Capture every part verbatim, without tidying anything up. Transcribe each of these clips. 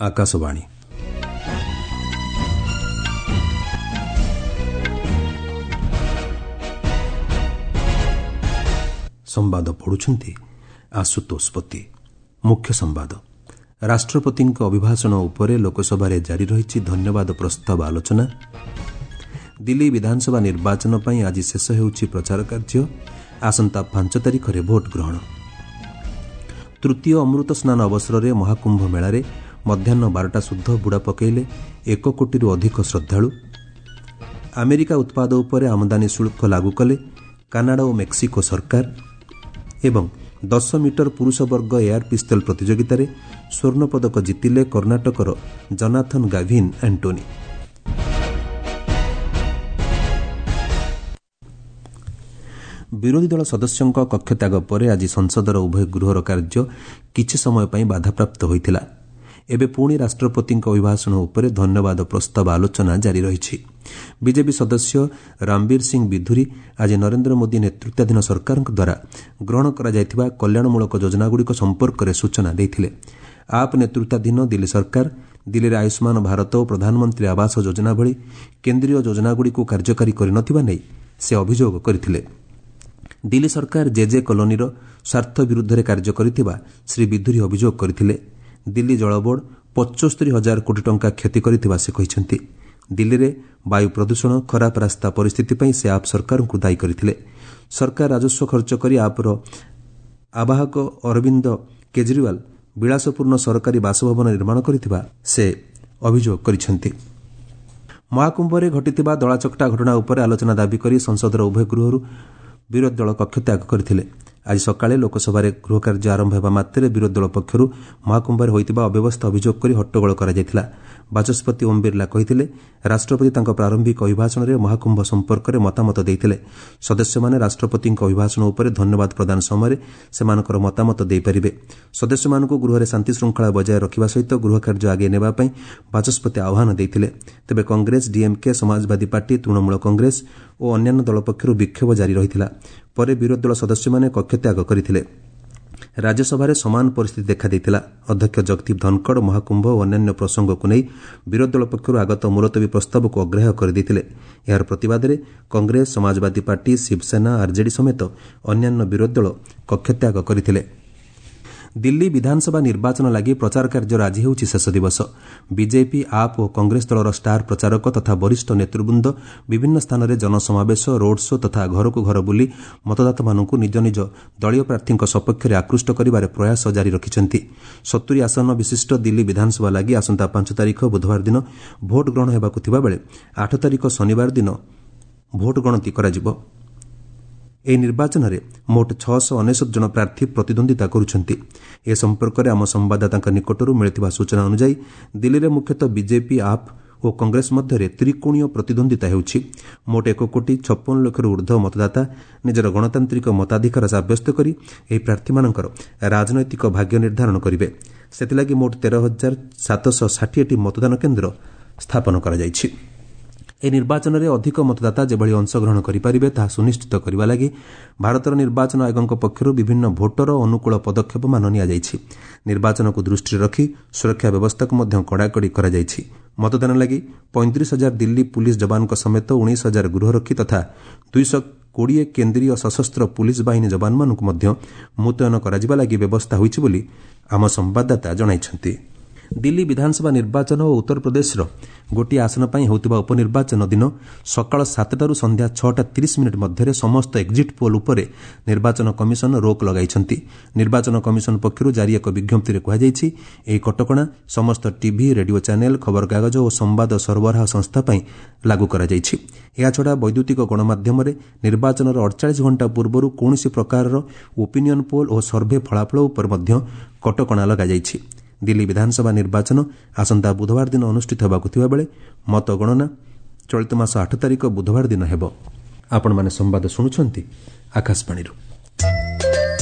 ଆକାଶବାଣୀ। ସମ୍ବାଦ ପଢ଼ୁଛନ୍ତି ଆଶୁତୋଷ ପତି। ମୁଖ୍ୟ ସମ୍ବାଦ। ରାଷ୍ଟ୍ରପତିଙ୍କ ଅଭିଭାଷଣ ଉପରେ ଲୋକସଭାରେ ଜାରି ରହିଛି ଧନ୍ୟବାଦ ପ୍ରସ୍ତାବ ଆଲୋଚନା। ଦିଲ୍ଲୀ ବିଧାନସଭା ନିର୍ବାଚନ ପାଇଁ ଆଜି ଶେଷ ହେଉଛି ପ୍ରଚାର କାର୍ଯ୍ୟ। ଆସନ୍ତା ପାଞ୍ଚ ତାରିଖରେ ଭୋଟ ଗ୍ରହଣ। ତୃତୀୟ ଅମୃତ ସ୍ନାନ ଅବସରରେ ମହାକୁମ୍ଭ ମେଳାରେ ମଧ୍ୟାହ୍ନ ବାରଟା ସୁଦ୍ଧା ବୁଡ଼ ପକାଇଲେ ଏକ କୋଟିରୁ ଅଧିକ ଶ୍ରଦ୍ଧାଳୁ। ଆମେରିକା ଉତ୍ପାଦ ଉପରେ ଆମଦାନୀ ଶୁଳ୍କ ଲାଗୁ କଲେ କାନାଡା ଓ ମେକ୍ସିକୋ ସରକାର। ଏବଂ ଦଶ ମିଟର ପୁରୁଷ ବର୍ଗ ଏୟାର ପିସ୍ତଲ ପ୍ରତିଯୋଗିତାରେ ସ୍ୱର୍ଣ୍ଣପଦକ ଜିତିଲେ କର୍ଣ୍ଣାଟକର ଜନାଥନ ଗାଭିନ୍ ଆଣ୍ଟୋନି। ବିରୋଧୀ ଦଳ ସଦସ୍ୟଙ୍କ କକ୍ଷତ୍ୟାଗ ପରେ ଆଜି ସଂସଦର ଉଭୟ ଗୃହର କାର୍ଯ୍ୟ କିଛି ସମୟ ପାଇଁ ବାଧାପ୍ରାପ୍ତ ହୋଇଥିଲା। ଏବେ ପୁଣି ରାଷ୍ଟ୍ରପତିଙ୍କ ଅଭିଭାଷଣ ଉପରେ ଧନ୍ୟବାଦ ପ୍ରସ୍ତାବ ଆଲୋଚନା ଜାରି ରହିଛି। ବିଜେପି ସଦସ୍ୟ ରାମବୀର ସିଂ ବିଧୁରୀ ଆଜି ନରେନ୍ଦ୍ର ମୋଦି ନେତୃତ୍ୱାଧୀନ ସରକାରଙ୍କ ଦ୍ୱାରା ଗ୍ରହଣ କରାଯାଇଥିବା କଲ୍ୟାଣମୂଳକ ଯୋଜନାଗୁଡ଼ିକ ସମ୍ପର୍କରେ ସୂଚନା ଦେଇଥିଲେ। ଆପ୍ ନେତୃତ୍ୱାଧୀନ ଦିଲ୍ଲୀ ସରକାର ଦିଲ୍ଲୀରେ ଆୟୁଷ୍ମାନ ଭାରତ ଓ ପ୍ରଧାନମନ୍ତ୍ରୀ ଆବାସ ଯୋଜନା ଭଳି କେନ୍ଦ୍ରୀୟ ଯୋଜନାଗୁଡ଼ିକୁ କାର୍ଯ୍ୟକାରୀ କରିନଥିବା ନେଇ ସେ ଅଭିଯୋଗ କରିଥିଲେ। ଦିଲ୍ଲୀ ସରକାର ଜେଜେ କଲୋନୀର ସ୍ୱାର୍ଥ ବିରୁଦ୍ଧରେ କାର୍ଯ୍ୟ କରିଥିବା ଶ୍ରୀ ବିଧୁରୀ ଅଭିଯୋଗ କରିଥିଲେ। ଦିଲ୍ଲୀ ଜଳବୋର୍ଡ ପଞ୍ଚସ୍ତରୀ ହଜାର କୋଟି ଟଙ୍କା କ୍ଷତି କରିଥିବା ସେ କହିଛନ୍ତି। ଦିଲ୍ଲୀରେ ବାୟୁ ପ୍ରଦୂଷଣ, ଖରାପ ରାସ୍ତା ପରିସ୍ଥିତି ପାଇଁ ସେ ଆପ୍ ସରକାରଙ୍କୁ ଦାୟୀ କରିଥିଲେ। ସରକାର ରାଜସ୍ୱ ଖର୍ଚ୍ଚ କରି ଆପ୍ର ଆବାହକ ଅରବିନ୍ଦ କେଜରିୱାଲ ବିଳାସପୂର୍ଣ୍ଣ ସରକାରୀ ବାସଭବନ ନିର୍ମାଣ କରିଥିବା ସେ ଅଭିଯୋଗ କରିଛନ୍ତି। ମହାକୁମ୍ଭରେ ଘଟିଥିବା ଦଳାଚକଟା ଘଟଣା ଉପରେ ଆଲୋଚନା ଦାବି କରି ସଂସଦର ଉଭୟ ଗୃହରୁ ବିରୋଧୀ ଦଳ କକ୍ଷତ୍ୟାଗ କରିଥିଲେ। ଆଜି ସକାଳେ ଲୋକସଭାରେ ଗୃହକାର୍ଯ୍ୟ ଆରମ୍ଭ ହେବା ମାତ୍ରେ ବିରୋଧୀ ଦଳ ପକ୍ଷରୁ ମହାକୁମ୍ଭରେ ହୋଇଥିବା ଅବ୍ୟବସ୍ଥା ଅଭିଯୋଗ କରି ହଟ୍ଟଗୋଳ କରାଯାଇଥିଲା। ବାଚସ୍ପତି ଓମ୍ ବିର୍ଲା କହିଥିଲେ, ରାଷ୍ଟ୍ରପତି ତାଙ୍କ ପ୍ରାରମ୍ଭିକ ଅଭିଭାଷଣରେ ମହାକୁମ୍ଭ ସମ୍ପର୍କରେ ମତାମତ ଦେଇଥିଲେ। ସଦସ୍ୟମାନେ ରାଷ୍ଟ୍ରପତିଙ୍କ ଅଭିଭାଷଣ ଉପରେ ଧନ୍ୟବାଦ ପ୍ରଦାନ ସମୟରେ ସେମାନଙ୍କର ମତାମତ ଦେଇପାରିବେ। ସଦସ୍ୟମାନଙ୍କୁ ଗୃହରେ ଶାନ୍ତିଶୃଙ୍ଖଳା ବଜାୟ ରଖିବା ସହିତ ଗୃହକାର୍ଯ୍ୟ ଆଗେଇ ନେବା ପାଇଁ ବାଚସ୍ପତି ଆହ୍ୱାନ ଦେଇଥିଲେ। ତେବେ କଂଗ୍ରେସ, ଡିଏମ୍କେ, ସମାଜବାଦୀ ପାର୍ଟି, ତୃଣମୂଳ କଂଗ୍ରେସ ଓ ଅନ୍ୟାନ୍ୟ ଦଳ ପକ୍ଷରୁ ବିକ୍ଷୋଭ ଜାରି ରହିଥିଲା। ପରେ ବିରୋଧୀ ଦଳ ସଦସ୍ୟମାନେ କକ୍ଷତ୍ୟାଗ କରିଥିଲେ। ରାଜ୍ୟସଭାରେ ସମାନ ପରିସ୍ଥିତି ଦେଖାଦେଇଥିଲା। ଅଧ୍ୟକ୍ଷ ଜଗଦୀପ ଧନଖଡ଼ ମହାକୁମ୍ଭ ଓ ଅନ୍ୟାନ୍ୟ ପ୍ରସଙ୍ଗକୁ ନେଇ ବିରୋଧୀ ଦଳ ପକ୍ଷରୁ ଆଗତ ମୁଲତବୀ ପ୍ରସ୍ତାବକୁ ଅଗ୍ରାହ୍ୟ କରିଦେଇଥିଲେ। ଏହାର ପ୍ରତିବାଦରେ କଂଗ୍ରେସ, ସମାଜବାଦୀ ପାର୍ଟି, ଶିବସେନା, ଆର୍ଜେଡି ସମେତ ଅନ୍ୟାନ୍ୟ ବିରୋଧୀ ଦଳ କକ୍ଷତ୍ୟାଗ କରିଥିଲେ। ଦିଲ୍ଲୀ ବିଧାନସଭା ନିର୍ବାଚନ ଲାଗି ପ୍ରଚାର କାର୍ଯ୍ୟର ଆଜି ହେଉଛି ଶେଷ ଦିବସ। ବିଜେପି, ଆପ୍ ଓ କଂଗ୍ରେସ ଦଳର ଷ୍ଟାର ପ୍ରଚାରକ ତଥା ବରିଷ୍ଠ ନେତୃବୃନ୍ଦ ବିଭିନ୍ନ ସ୍ଥାନରେ ଜନସମାବେଶ, ରୋଡ୍ ଶୋ ତଥା ଘରକୁ ଘର ବୁଲି ମତଦାତାମାନଙ୍କୁ ନିଜ ନିଜ ଦଳୀୟ ପ୍ରାର୍ଥୀଙ୍କ ସପକ୍ଷରେ ଆକୃଷ୍ଟ କରିବାରେ ପ୍ରୟାସ ଜାରି ରଖିଛନ୍ତି। ସତୁରି ଆସନ ବିଶିଷ୍ଟ ଦିଲ୍ଲୀ ବିଧାନସଭା ଲାଗି ଆସନ୍ତା ପାଞ୍ଚ ତାରିଖ ବୁଧବାର ଦିନ ଭୋଟ ଗ୍ରହଣ ହେବାକୁ ଥିବାବେଳେ ଆଠ ତାରିଖ ଶନିବାର ଦିନ ଭୋଟ ଗଣତି କରାଯିବ। ଏହି ନିର୍ବାଚନରେ ମୋଟ ଛଅଶହ ଅନେଶତ ଜଣ ପ୍ରାର୍ଥୀ ପ୍ରତିଦ୍ୱନ୍ଦ୍ୱିତା କରୁଛନ୍ତି। ଏ ସମ୍ପର୍କରେ ଆମ ସମ୍ବାଦଦାତାଙ୍କ ନିକଟରୁ ମିଳିଥିବା ସୂଚନା ଅନୁଯାୟୀ ଦିଲ୍ଲୀରେ ମୁଖ୍ୟତଃ ବିଜେପି, ଆପ୍ ଓ କଂଗ୍ରେସ ମଧ୍ୟରେ ତ୍ରିକୋଣୀୟ ପ୍ରତିଦ୍ୱନ୍ଦ୍ୱିତା ହେଉଛି। ମୋଟ ଏକ କୋଟି ଛପନ ଲକ୍ଷରୁ ଉର୍ଦ୍ଧ୍ୱ ମତଦାତା ନିଜର ଗଣତାନ୍ତ୍ରିକ ମତାଧିକାର ସାବ୍ୟସ୍ତ କରି ଏହି ପ୍ରାର୍ଥୀମାନଙ୍କର ରାଜନୈତିକ ଭାଗ୍ୟ ନିର୍ଦ୍ଧାରଣ କରିବେ। ସେଥିଲାଗି ମୋଟ ତେର ହଜାର ସାତଶହ ଷାଠିଏଟି ମତଦାନ କେନ୍ଦ୍ର ସ୍ଥାପନ କରାଯାଇଛି। ଏହି ନିର୍ବାଚନରେ ଅଧିକ ମତଦାତା ଯେଭଳି ଅଂଶଗ୍ରହଣ କରିପାରିବେ ତାହା ସୁନିଶ୍ଚିତ କରିବା ଲାଗି ଭାରତର ନିର୍ବାଚନ ଆୟୋଗଙ୍କ ପକ୍ଷରୁ ବିଭିନ୍ନ ଭୋଟର ଅନୁକୂଳ ପଦକ୍ଷେପମାନ ନିଆଯାଇଛି। ନିର୍ବାଚନକୁ ଦୃଷ୍ଟିରେ ରଖି ସୁରକ୍ଷା ବ୍ୟବସ୍ଥାକୁ ମଧ୍ୟ କଡ଼ାକଡ଼ି କରାଯାଇଛି। ମତଦାନ ଲାଗି ପଇଁତିରିଶ ହଜାର ଦିଲ୍ଲୀ ପୁଲିସ୍ ଯବାନଙ୍କ ସମେତ ଉଣେଇଶ ହଜାର ଗୃହରକ୍ଷୀ ତଥା ଦୁଇଶହ କୋଡ଼ିଏ କେନ୍ଦ୍ରୀୟ ସଶସ୍ତ୍ର ପୁଲିସ୍ ବାହିନୀ ଯବାନମାନଙ୍କୁ ମଧ୍ୟ ମୁତୟନ କରାଯିବା ଲାଗି ବ୍ୟବସ୍ଥା ହୋଇଛି ବୋଲି ଆମ ସମ୍ବାଦଦାତା ଜଣାଇଛନ୍ତି। ଦିଲ୍ଲୀ ବିଧାନସଭା ନିର୍ବାଚନ ଓ ଉତ୍ତରପ୍ରଦେଶର ଗୋଟିଏ ଆସନ ପାଇଁ ହେଉଥିବା ଉପନିର୍ବାଚନ ଦିନ ସକାଳ ସାତଟାରୁ ସନ୍ଧ୍ୟା ଛଅଟା ତିରିଶ ମିନିଟ୍ ମଧ୍ୟରେ ସମସ୍ତ ଏକ୍ଜିଟ୍ ପୋଲ୍ ଉପରେ ନିର୍ବାଚନ କମିଶନ ରୋକ୍ ଲଗାଇଛନ୍ତି। ନିର୍ବାଚନ କମିଶନ ପକ୍ଷରୁ ଜାରି ଏକ ବିଜ୍ଞପ୍ତିରେ କୁହାଯାଇଛି, ଏହି କଟକଣା ସମସ୍ତ ଟିଭି, ରେଡିଓ ଚ୍ୟାନେଲ୍, ଖବରକାଗଜ ଓ ସମ୍ବାଦ ସରବରାହ ସଂସ୍ଥା ପାଇଁ ଲାଗୁ କରାଯାଇଛି। ଏହାଛଡ଼ା ବୈଦ୍ୟୁତିକ ଗଣମାଧ୍ୟମରେ ନିର୍ବାଚନର ଅଡ଼ଚାଳିଶ ଘଣ୍ଟା ପୂର୍ବରୁ କୌଣସି ପ୍ରକାରର ଓପିନିଅନ୍ ପୋଲ୍ ଓ ସର୍ଭେ ଫଳାଫଳ ଉପରେ ମଧ୍ୟ କଟକଣା ଲଗାଯାଇଛି। ଦିଲ୍ଲୀ ବିଧାନସଭା ନିର୍ବାଚନ ଆସନ୍ତା ବୁଧବାର ଦିନ ଅନୁଷ୍ଠିତ ହେବାକୁ ଥିବାବେଳେ ମତଗଣନା ଚଳିତ ମାସ ଆଠ ତାରିଖ ବୁଧବାର ଦିନ ହେବ। ଆପଣମାନେ ସମ୍ବାଦ ଶୁଣୁଛନ୍ତି ଆକାଶବାଣୀରୁ।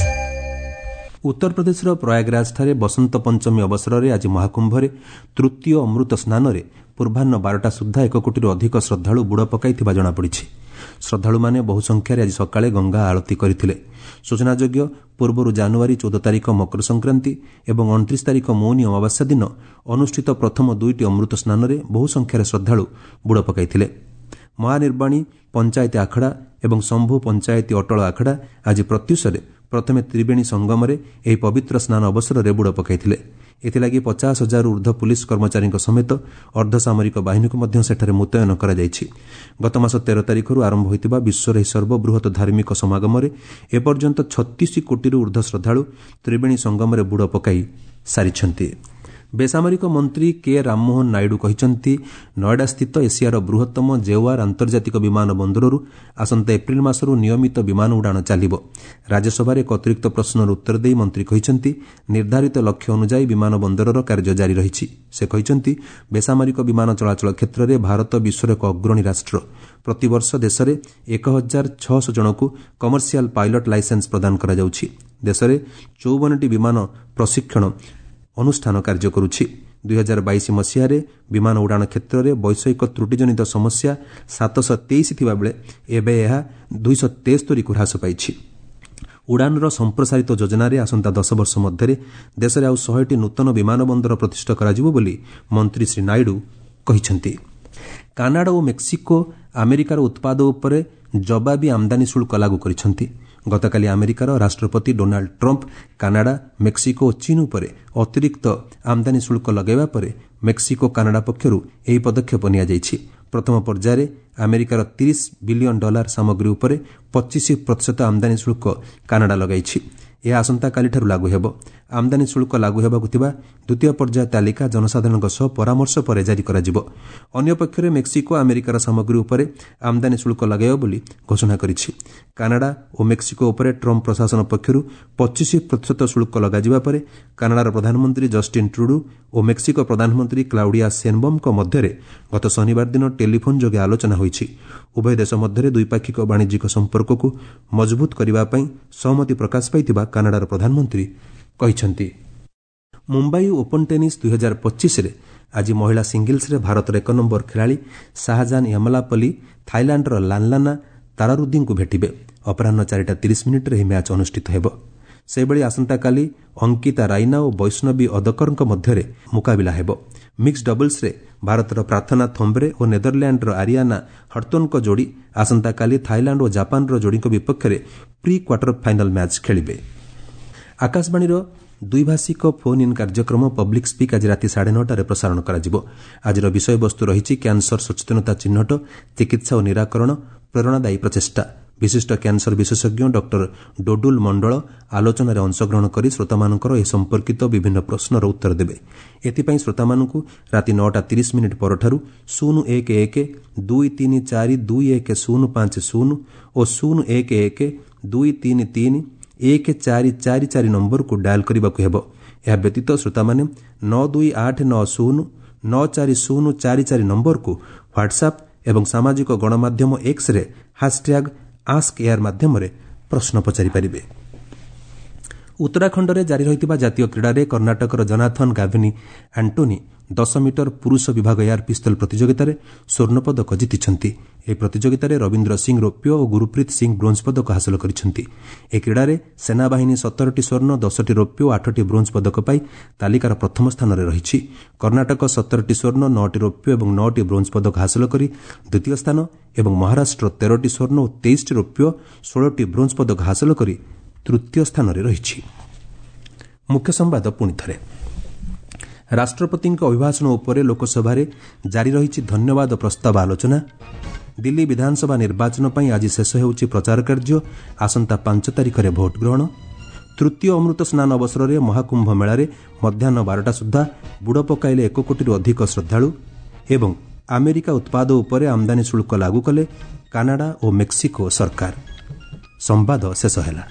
ଉତ୍ତରପ୍ରଦେଶର ପ୍ରୟାଗରାଜଠାରେ ବସନ୍ତ ପଞ୍ଚମୀ ଅବସରରେ ଆଜି ମହାକୁମ୍ଭରେ ତୃତୀୟ ଅମୃତ ସ୍ନାନରେ ପୂର୍ବାହ୍ନ ବାରଟା ସୁଦ୍ଧା ଏକ କୋଟିରୁ ଅଧିକ ଶ୍ରଦ୍ଧାଳୁ ବୁଡ଼ ପକାଇଥିବା ଜଣାପଡ଼ିଛି। ଶ୍ରଦ୍ଧାଳୁମାନେ ବହୁ ସଂଖ୍ୟାରେ ଆଜି ସକାଳେ ଗଙ୍ଗା ଆଳତୀ କରିଥିଲେ। ସୂଚନାଯୋଗ୍ୟ, ପୂର୍ବରୁ ଜାନୁଆରୀ ଚଉଦ ତାରିଖ ମକର ସଂକ୍ରାନ୍ତି ଏବଂ ଅଣତିରିଶ ତାରିଖ ମୌନୀ ଅମାବାସ୍ୟା ଦିନ ଅନୁଷ୍ଠିତ ପ୍ରଥମ ଦୁଇଟି ଅମୃତ ସ୍ନାନରେ ବହୁ ସଂଖ୍ୟାରେ ଶ୍ରଦ୍ଧାଳୁ ବୁଡ଼ ପକାଇଥିଲେ। ମହାନିର୍ବାଣୀ ପଞ୍ଚାୟତି ଆଖଡ଼ା ଏବଂ ଶମ୍ଭୁ ପଞ୍ଚାୟତି ଅଟଳ ଆଖଡ଼ା ଆଜି ପ୍ରତ୍ୟୁଷରେ ପ୍ରଥମେ ତ୍ରିବେଣୀ ସଙ୍ଗମରେ ଏହି ପବିତ୍ର ସ୍ନାନ ଅବସରରେ ବୁଡ଼ ପକାଇଥିଲେ। ଏଥିଲାଗି ପଚାଶ ହଜାରରୁ ଉର୍ଦ୍ଧ୍ୱ ପୁଲିସ୍ କର୍ମଚାରୀଙ୍କ ସମେତ ଅର୍ଦ୍ଧସାମରିକ ବାହିନୀକୁ ମଧ୍ୟ ସେଠାରେ ମୁତୟନ କରାଯାଇଛି। ଗତମାସ ତେର ତାରିଖରୁ ଆରମ୍ଭ ହୋଇଥିବା ବିଶ୍ୱର ଏହି ସର୍ବବୃହତ ଧାର୍ମିକ ସମାଗମରେ ଏପର୍ଯ୍ୟନ୍ତ ଛତିଶ କୋଟିରୁ ଉର୍ଦ୍ଧ୍ୱ ଶ୍ରଦ୍ଧାଳୁ ତ୍ରିବେଣୀ ସଙ୍ଗମରେ ବୁଡ଼ ପକାଇ ସାରିଛନ୍ତି। ବେସାମରିକ ମନ୍ତ୍ରୀ କେ ରାମମୋହନ ନାଇଡୁ କହିଛନ୍ତି, ନଏଡାସ୍ଥିତ ଏସିଆର ବୃହତ୍ତମ ଜେୱାର ଆନ୍ତର୍ଜାତିକ ବିମାନ ବନ୍ଦରରୁ ଆସନ୍ତା ଏପ୍ରିଲ ମାସରୁ ନିୟମିତ ବିମାନ ଉଡ଼ାଣ ଚାଲିବ। ରାଜ୍ୟସଭାରେ ଏକ ଅତିରିକ୍ତ ପ୍ରଶ୍ନର ଉତ୍ତର ଦେଇ ମନ୍ତ୍ରୀ କହିଛନ୍ତି, ନିର୍ଦ୍ଧାରିତ ଲକ୍ଷ୍ୟ ଅନୁଯାୟୀ ବିମାନ ବନ୍ଦରର କାର୍ଯ୍ୟ ଜାରି ରହିଛି। ସେ କହିଛନ୍ତି, ବେସାମରିକ ବିମାନ ଚଳାଚଳ କ୍ଷେତ୍ରରେ ଭାରତ ବିଶ୍ୱର ଏକ ଅଗ୍ରଣୀ ରାଷ୍ଟ୍ର। ପ୍ରତିବର୍ଷ ଦେଶରେ ଏକ ହଜାର ଛଅଶହ ଜଣଙ୍କୁ କମର୍ସିଆଲ ପାଇଲଟ ଲାଇସେନ୍ସ ପ୍ରଦାନ କରାଯାଉଛି। ଦେଶରେ ଚଉବନଟି ବିମାନ ପ୍ରଶିକ୍ଷଣ ଅନୁଷ୍ଠାନ କାର୍ଯ୍ୟ କରୁଛି। ଦୁଇହଜାର ବାଇଶ ମସିହାରେ ବିମାନ ଉଡ଼ାଣ କ୍ଷେତ୍ରରେ ବୈଷୟିକ ତ୍ରୁଟିଜନିତ ସମସ୍ୟା ସାତଶହ ତେଇଶ ଥିବାବେଳେ ଏବେ ଏହା ଦୁଇଶହ ତେସ୍ତରୀକୁ ହ୍ରାସ ପାଇଛି। ଉଡ଼ାଣର ସମ୍ପ୍ରସାରିତ ଯୋଜନାରେ ଆସନ୍ତା ଦଶ ବର୍ଷ ମଧ୍ୟରେ ଦେଶରେ ଆଉ ଶହେଟି ନୂତନ ବିମାନ ବନ୍ଦର ପ୍ରତିଷ୍ଠା କରାଯିବ ବୋଲି ମନ୍ତ୍ରୀ ଶ୍ରୀ ନାଇଡୁ କହିଛନ୍ତି। କାନାଡା ଓ ମେକ୍ସିକୋ ଆମେରିକାର ଉତ୍ପାଦ ଉପରେ ଜବାବୀ ଆମଦାନୀ ଶୁଳ୍କ ଲାଗୁ କରିଛନ୍ତି। ଗତକାଲି ଆମେରିକାର ରାଷ୍ଟ୍ରପତି ଡୋନାଲ୍ଡ ଟ୍ରମ୍ପ କାନାଡା, ମେକ୍ସିକୋ ଓ ଚୀନ୍ ଉପରେ ଅତିରିକ୍ତ ଆମଦାନୀ ଶୁଳ୍କ ଲଗାଇବା ପରେ ମେକ୍ସିକୋ କାନାଡା ପକ୍ଷରୁ ଏହି ପଦକ୍ଷେପ ନିଆଯାଇଛି। ପ୍ରଥମ ପର୍ଯ୍ୟାୟରେ ଆମେରିକାର ତିରିଶ ବିଲିୟନ ଡଲାର ସାମଗ୍ରୀ ଉପରେ ପଚିଶ ପ୍ରତିଶତ ଆମଦାନୀ ଶୁଳ୍କ କାନାଡା ଲଗାଇଛି। ଏହା ଆସନ୍ତାକାଲିଠାରୁ ଲାଗୁ ହେବ। ଆମଦାନୀ ଶୁଳ୍କ ଲାଗୁ ହେବାକୁ ଥିବା ଦ୍ୱିତୀୟ ପର୍ଯ୍ୟାୟ ତାଲିକା ଜନସାଧାରଣଙ୍କ ସହ ପରାମର୍ଶ ପରେ ଜାରି କରାଯିବ। ଅନ୍ୟପକ୍ଷରେ ମେକ୍ସିକୋ ଆମେରିକାର ସାମଗ୍ରୀ ଉପରେ ଆମଦାନୀ ଶୁଳ୍କ ଲଗାଇବ ବୋଲି ଘୋଷଣା କରିଛି। କାନାଡା ଓ ମେକ୍ସିକୋ ଉପରେ ଟ୍ରମ୍ପ ପ୍ରଶାସନ ପକ୍ଷରୁ ପଚିଶ ପ୍ରତିଶତ ଶୁଳ୍କ ଲଗାଯିବା ପରେ କାନାଡାର ପ୍ରଧାନମନ୍ତ୍ରୀ ଜଷ୍ଟିନ୍ ଟ୍ରୁଡୁ ଓ ମେକ୍ସିକୋ ପ୍ରଧାନମନ୍ତ୍ରୀ କ୍ଲାଉଡିଆ ସେନବମ୍ଙ୍କ ମଧ୍ୟରେ ଗତ ଶନିବାର ଦିନ ଟେଲିଫୋନ୍ ଯୋଗେ ଆଲୋଚନା ହୋଇଛି। ଉଭୟ ଦେଶ ମଧ୍ୟରେ ଦ୍ୱିପାକ୍ଷିକ ବାଣିଜ୍ୟିକ ସମ୍ପର୍କକୁ ମଜବୁତ କରିବା ପାଇଁ ସହମତି ପ୍ରକାଶ ପାଇଥିବା କାନାଡାର ପ୍ରଧାନମନ୍ତ୍ରୀ କହିଛନ୍ତି। ମୁମ୍ବାଇ ଓପନ୍ ଟେନିସ୍ ଦୁଇହଜାର ପଚିଶରେ ଆଜି ମହିଳା ସିଙ୍ଗଲ୍ସରେ ଭାରତର ଏକ ନମ୍ବର ଖେଳାଳି ଶାହଜାନ ୟମଲାପଲ୍ଲୀ ଥାଇଲାଣ୍ଡର ଲାନ୍ଲାନା ତାରାରୁଦ୍ଦିଙ୍କୁ ଭେଟିବେ। ଅପରାହ୍ନ ଚାରିଟା ତିରିଶ ମିନିଟ୍ରେ ଏହି ମ୍ୟାଚ୍ ଅନୁଷ୍ଠିତ ହେବ। ସେହିଭଳି ଆସନ୍ତାକାଲି ଅଙ୍କିତା ରାଇନା ଓ ବୈଷ୍ଣବୀ ଅଦକରଙ୍କ ମଧ୍ୟରେ ମୁକାବିଲା ହେବ। ମିକ୍ସ ଡବଲ୍ସରେ ଭାରତର ପ୍ରାର୍ଥନା ଥମ୍ବ୍ରେ ଓ ନେଦରଲ୍ୟାଣ୍ଡର ଆରିଆନା ହର୍ତୋନ୍ଙ୍କ ଯୋଡ଼ି ଆସନ୍ତାକାଲି ଥାଇଲାଣ୍ଡ ଓ ଜାପାନର ଯୋଡ଼ିଙ୍କ ବିପକ୍ଷରେ ପ୍ରି କ୍ୱାର୍ଟର ଫାଇନାଲ ମ୍ୟାଚ୍ ଖେଳିବେ। ଆକାଶବାଣୀର ଦ୍ୱିଭାଷିକ ଫୋନ୍ ଇନ୍ କାର୍ଯ୍ୟକ୍ରମ ପବ୍ଲିକ୍ ସ୍ପିକ୍ ଆଜି ରାତି ସାଢ଼େ ନଅଟାରେ ପ୍ରସାରଣ କରାଯିବ। ଆଜିର ବିଷୟବସ୍ତୁ ରହିଛି କ୍ୟାନ୍ସର ସଚେତନତା ଚିହ୍ନଟ, ଚିକିତ୍ସା ଓ ନିରାକରଣ, ପ୍ରେରଣାଦାୟୀ ପ୍ରଚେଷ୍ଟା। ବିଶିଷ୍ଟ କ୍ୟାନ୍ସର ବିଶେଷଜ୍ଞ ଡକ୍ଟର ଡୋଡୁଲ ମଣ୍ଡଳ ଆଲୋଚନାରେ ଅଂଶଗ୍ରହଣ କରି ଶ୍ରୋତାମାନଙ୍କର ଏ ସମ୍ପର୍କିତ ବିଭିନ୍ନ ପ୍ରଶ୍ନର ଉତ୍ତର ଦେବେ। ଏଥିପାଇଁ ଶ୍ରୋତାମାନଙ୍କୁ ରାତି ନଅଟା ତିରିଶ ମିନିଟ୍ ପରଠାରୁ ଶୂନ ଏକ ଏକ ଦୁଇ ତିନି ଚାରି ଦୁଇ ଏକ ଶୂନ ପାଞ୍ଚ ଶୂନ ଓ ଶୂନ ଏକ ଏକ ଦୁଇ ତିନି ତିନି ଏକ ଚାରି ଚାରି ଚାରି ନମ୍ବରକୁ ଡାଏଲ୍ କରିବାକୁ ହେବ। ଏହା ବ୍ୟତୀତ ଶ୍ରୋତାମାନେ ନଅ ଦୁଇ ଆଠ ନଅ ଶୂନ ନଅ ଚାରି ଶୂନ ଚାରି ଚାରି ନମ୍ବରକୁ ହ୍ୱାଟ୍ସଆପ୍ ଏବଂ ସାମାଜିକ ଗଣମାଧ୍ୟମ ଏକ୍ସରେ ହାସ୍ଟ୍ୟାଗ୍ ଆସ୍କ ଏୟାର ମାଧ୍ୟମରେ ପ୍ରଶ୍ନ ପଚାରିପାରିବେ। ଉତ୍ତରାଖଣ୍ଡରେ ଜାରି ରହିଥିବା ଜାତୀୟ କ୍ରୀଡ଼ାରେ କର୍ଣ୍ଣାଟକର ଜନାଥନ ଗାଭିନି ଆଣ୍ଟୋନି ଦଶ ମିଟର ପୁରୁଷ ବିଭାଗ ଏୟାର ପିସ୍ତଲ ପ୍ରତିଯୋଗିତାରେ ସ୍ୱର୍ଣ୍ଣପଦକ ଜିତିଛନ୍ତି। ଏହି ପ୍ରତିଯୋଗିତାରେ ରବୀନ୍ଦ୍ର ସିଂ ରୌପ୍ୟ ଓ ଗୁରୁପ୍ରୀତ ସିଂ ବ୍ରୋଞ୍ଜ ପଦକ ହାସଲ କରିଛନ୍ତି। ଏହି କ୍ରୀଡ଼ାରେ ସେନାବାହିନୀ ସତରଟି ସ୍ୱର୍ଣ୍ଣ, ଦଶଟି ରୌପ୍ୟ ଓ ଆଠଟି ବ୍ରୋଞ୍ଜ ପଦକ ପାଇ ତାଲିକାର ପ୍ରଥମ ସ୍ଥାନରେ ରହିଛି। କର୍ଣ୍ଣାଟକ ସତରଟି ସ୍ୱର୍ଣ୍ଣ, ନଅଟି ରୌପ୍ୟ ଏବଂ ନଅଟି ବ୍ରୋଞ୍ଜ ପଦକ ହାସଲ କରି ଦ୍ୱିତୀୟ ସ୍ଥାନ ଏବଂ ମହାରାଷ୍ଟ୍ର ତେରଟି ସ୍ୱର୍ଣ୍ଣ ଓ ତେଇଶଟି ରୌପ୍ୟ, ଷୋହଳଟି ବ୍ରୋଞ୍ଜ ପଦକ ହାସଲ କରି ତୃତୀୟ ସ୍ଥାନରେ ରହିଛି। ମୁଖ୍ୟ ସମ୍ବାଦ ପୁଣି ଥରେ। ରାଷ୍ଟ୍ରପତିଙ୍କ ଅଭିଭାଷଣ ଉପରେ ଲୋକସଭାରେ ଜାରି ରହିଛି ଧନ୍ୟବାଦ ପ୍ରସ୍ତାବ ଆଲୋଚନା। ଦିଲ୍ଲୀ ବିଧାନସଭା ନିର୍ବାଚନ ପାଇଁ ଆଜି ଶେଷ ହେଉଛି ପ୍ରଚାର କାର୍ଯ୍ୟ। ଆସନ୍ତା ପାଞ୍ଚ ତାରିଖରେ ଭୋଟ ଗ୍ରହଣ। ତୃତୀୟ ଅମୃତ ସ୍ନାନ ଅବସରରେ ମହାକୁମ୍ଭ ମେଳାରେ ମଧ୍ୟାହ୍ନ ବାରଟା ସୁଦ୍ଧା ବୁଡ଼ ପକାଇଲେ ଏକ କୋଟିରୁ ଅଧିକ ଶ୍ରଦ୍ଧାଳୁ। ଏବଂ ଆମେରିକା ଉତ୍ପାଦ ଉପରେ ଆମଦାନୀ ଶୁଳ୍କ ଲାଗୁ କଲେ କାନାଡା ଓ ମେକ୍ସିକୋ ସରକାର। ସମ୍ବାଦ ଶେଷ ହେଲା।